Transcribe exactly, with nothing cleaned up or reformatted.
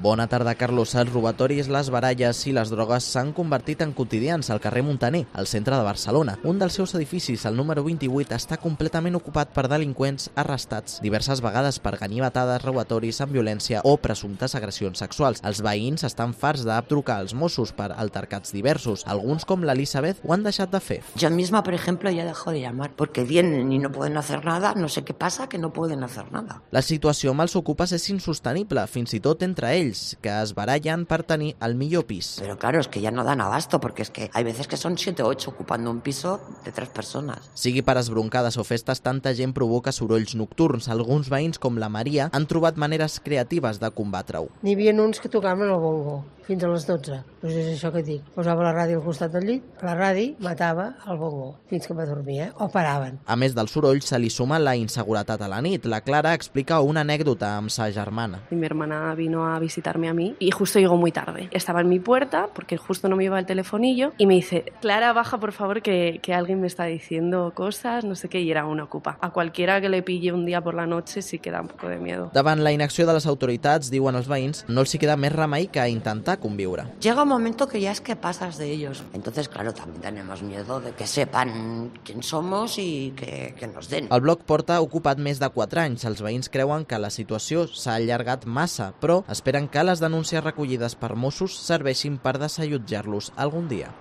Bona tarda, Carlos. Els robatoris, les baralles i les drogues s'han convertit en quotidians al carrer Muntaner, al centre de Barcelona. Un dels seus edificis, el número vint-i-vuit, està completament ocupat per delinqüents arrestats diverses vegades per ganivetades, robatoris amb violència o presumptes agressions sexuals. Els veïns estan farts de trucar als Mossos per altercats diversos. Alguns, com l'Elisabeth, ho han deixat de fer. Yo misma, por ejemplo, ya dejo de llamar porque vienen y no pueden hacer nada, no sé qué pasa, que no pueden hacer nada. La situació amb els ocupes és insostenible, fins i tot entre ells, que es barallen per tenir el millor pis. Pero claro, es que ya no dan abasto, porque es que hay veces que son siete o ocho ocupando un piso de tres personas. Sigui per esbroncades o festes, tanta gent provoca sorolls nocturns. Alguns veïns, com la Maria, han trobat maneres creatives de combatre-ho. N'hi havia uns que tocaven el bongo fins a les dotze. Doncs és això que et dic. Posava la ràdio al costat del llit, la ràdio matava el bongo fins que m'adormia, o paraven. A més del soroll, se li suma la inseguretat a la nit. La Clara explica una anècdota amb sa germana. Mi hermana vino a visitarme a mí y justo llegó muy tarde. Estaba en mi puerta porque justo no me iba el telefonillo y me dice: Clara, baja por favor que, que alguien me está diciendo cosas, no sé qué, y era una ocupa. A cualquiera que le pille un día por la noche sí que da un poco de miedo. Davant la inacció de les autoritats, diuen els veïns, no els hi queda més remei que intentar conviure. Llega un momento que ya es que pasas de ellos. Entonces, claro, también tenemos miedo de que sepan quién somos y que, que nos den. El bloc porta ocupat més de quatre anys. Els veïns creuen que la situació s'ha allargat massa, però esperen que les denúncies recollides per Mossos serveixin per desallotjar-los algun dia.